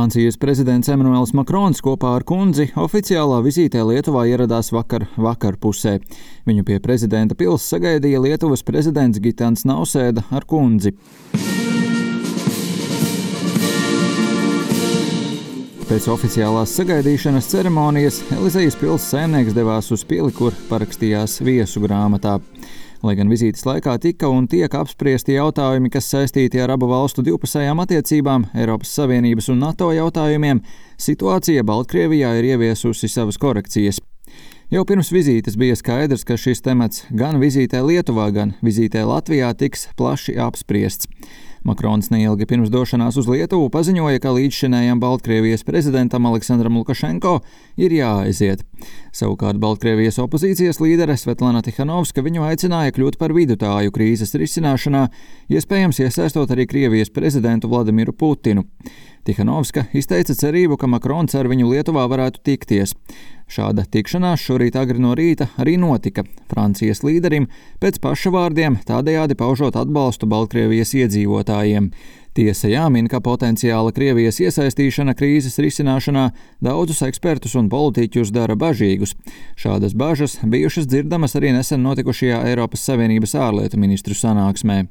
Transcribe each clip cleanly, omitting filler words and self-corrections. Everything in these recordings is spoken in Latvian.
Francijas prezidents Emmanuels Macrons kopā ar kundzi oficiālā vizītē Lietuvā ieradās vakar pusē. Viņu pie prezidenta pils sagaidīja Lietuvas prezidents Gitans Nausēda ar kundzi. Pēc oficiālās sagaidīšanas ceremonijas Elizejas pils saimnieks devās uz pili, kur parakstījās viesu grāmatā. Lai gan vizītes laikā tika un tiek apspriesti jautājumi, kas saistīti ar abu valstu divpusējām attiecībām, Eiropas Savienības un NATO jautājumiem, situācija Baltkrievijā ir ieviesusi savas korekcijas. Jau pirms vizītes bija skaidrs, ka šis temats gan vizītē Lietuvā, gan vizītē Latvijā tiks plaši apspriests. Makrons neilgi pirms došanās uz Lietuvu paziņoja, ka līdzšinējam Baltkrievijas prezidentam Aleksandram Lukašenko ir jāaiziet. Savukārt Baltkrievijas opozīcijas līdere Svetlana Tikhanovska viņu aicināja kļūt par vidutāju krīzes risināšanā, iespējams iesaistot arī Krievijas prezidentu Vladimiru Putinu. Tikhanovska izteica cerību, ka Makrons ar viņu Lietuvā varētu tikties. Šāda tikšanās šorīt agri no rīta arī notika Francijas līderim, pēc paša vārdiem tādējādi paužot atbalstu Baltkrievijas iedzīvotājiem. Tiesa jāmin, ka potenciāla Krievijas iesaistīšana krīzes risināšanā daudzus ekspertus un politiķus dara bažīgus. Šādas bažas bijušas dzirdamas arī nesen notikušajā Eiropas Savienības ārlietu ministru sanāksmē.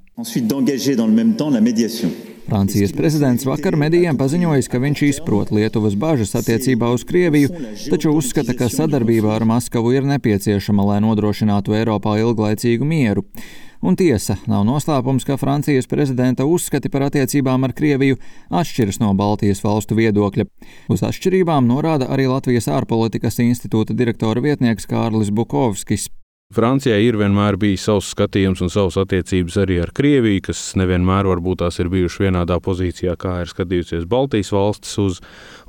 Francijas prezidents vakar medijiem paziņojis, ka viņš izprot Lietuvas bažas attiecībā uz Krieviju, taču uzskata, ka sadarbība ar Maskavu ir nepieciešama, lai nodrošinātu Eiropā ilglaicīgu mieru. Un tiesa, nav noslēpums, ka Francijas prezidenta uzskati par attiecībām ar Krieviju atšķiras no Baltijas valstu viedokļa. Uz atšķirībām norāda arī Latvijas ārpolitikas institūta direktora vietnieks Kārlis Bukovskis. Francijai ir vienmēr bijis savs skatījums un savas attiecības arī ar Krieviju, kas nevienmēr varbūt tās ir bijuši vienādā pozīcijā, kā ir skatījusies Baltijas valstis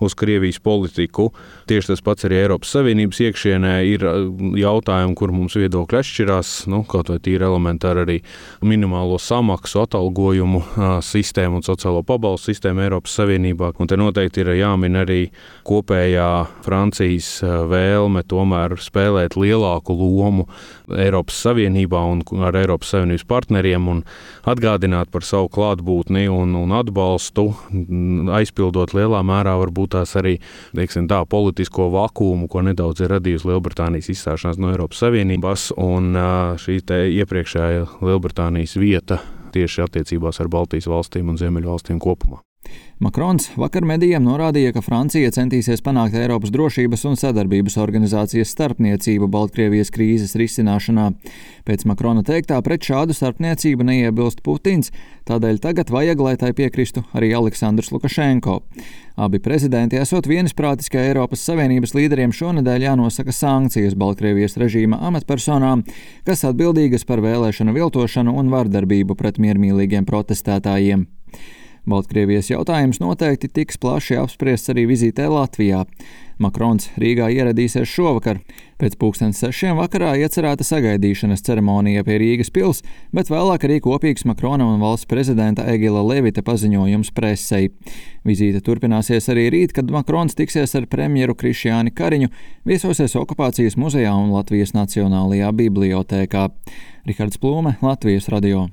uz Krievijas politiku. Tieši tas pats arī Eiropas Savienības iekšienē ir jautājumi, kur mums viedokļi atšķirās, kaut vai tīri elementāri arī minimālo samaksu, atalgojumu sistēmu un sociālo pabalstu sistēmu Eiropas Savienībā. Un te noteikti ir jāmin arī kopējā Francijas vēlme tomēr spēlēt lielāku lomu Eiropas Savienībā un ar Eiropas Savienības partneriem un atgādināt par savu klātbūtni un atbalstu, aizpildot lielā mērā varbūt tās arī, politisko vakuumu, ko nedaudz ir radījusi Lielbritānijas izstāšanās no Eiropas Savienības un šī te iepriekšējā Lielbritānijas vieta tieši attiecībās ar Baltijas valstīm un Ziemeļu valstīm kopumā. Makrons vakar medijiem norādīja, ka Francija centīsies panākt Eiropas drošības un sadarbības organizācijas starpniecību Baltkrievijas krīzes risināšanā. Pēc Makrona teiktā pret šādu starpniecību neiebilst Putins, tādēļ tagad vajag, lai tai piekristu arī Aleksandrs Lukašenko. Abi prezidenti esot vienisprātis, ka Eiropas Savienības līderiem šonedēļ jānosaka sankcijas Baltkrievijas režīma amatpersonām, kas atbildīgas par vēlēšanu viltošanu un vardarbību pret miermīlīgiem protestētājiem. Baltkrievijas jautājums noteikti tiks plaši apspriests arī vizītē Latvijā. Makrons Rīgā ieradīsies šovakar. Pēc 6:30 vakarā iecerēta sagaidīšanas ceremonija pie Rīgas pils, bet vēlāk arī kopīgs Makrona un valsts prezidenta Egila Levita paziņojums presei. Vizīte turpināsies arī rīt, kad Makrons tiksies ar premjeru Krišjāni Kariņu, viesosies Okupācijas muzejā un Latvijas Nacionālajā bibliotēkā. Rihards Plūme, Latvijas radio.